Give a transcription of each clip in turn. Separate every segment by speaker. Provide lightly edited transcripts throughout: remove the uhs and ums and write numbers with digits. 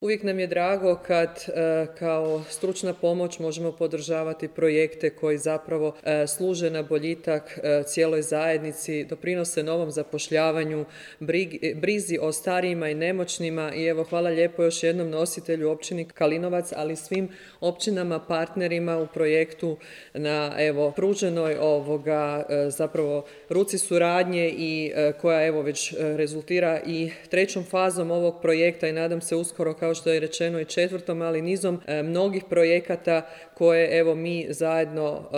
Speaker 1: Uvijek nam je drago kad kao stručna pomoć možemo podržavati projekte koji zapravo služe na boljitak cijeloj zajednici, doprinose novom zapošljavanju, brizi o starijima i nemoćnima i evo hvala lijepo još jednom nositelju općini Kalinovac, ali svim općinama partnerima u projektu na pruženoj zapravo ruci suradnje i koja već rezultira i trećom fazom ovog projekta i nadam se uskoro, kao što je rečeno, i četvrtom, ali nizom mnogih projekata koje mi zajedno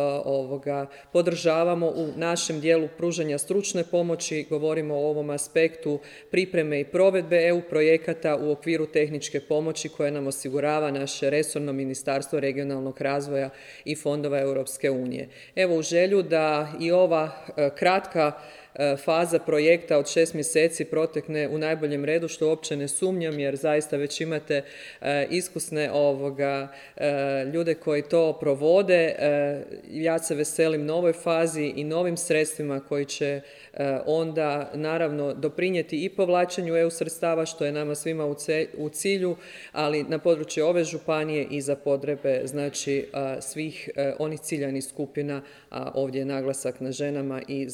Speaker 1: podržavamo u našem dijelu pružanja stručne pomoći. Govorimo o ovom aspektu pripreme i provedbe EU projekata u okviru tehničke pomoći koje nam osigurava naše resorno Ministarstvo regionalnog razvoja i fondova Europske unije. U želju da i ova kratka faza projekta od 6 mjeseci protekne u najboljem redu, što uopće ne sumnjam jer zaista već imate iskusne ljude koji to provode. Ja se veselim novoj fazi i novim sredstvima koji će onda naravno doprinijeti i povlačenju EU sredstava, što je nama svima u cilju, ali na području ove županije i za potrebe svih onih ciljanih skupina, a ovdje je naglasak na ženama i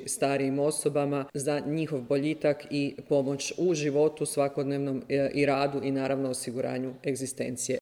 Speaker 1: starijim osobama, za njihov boljitak i pomoć u životu svakodnevnom i radu i naravno osiguranju egzistencije.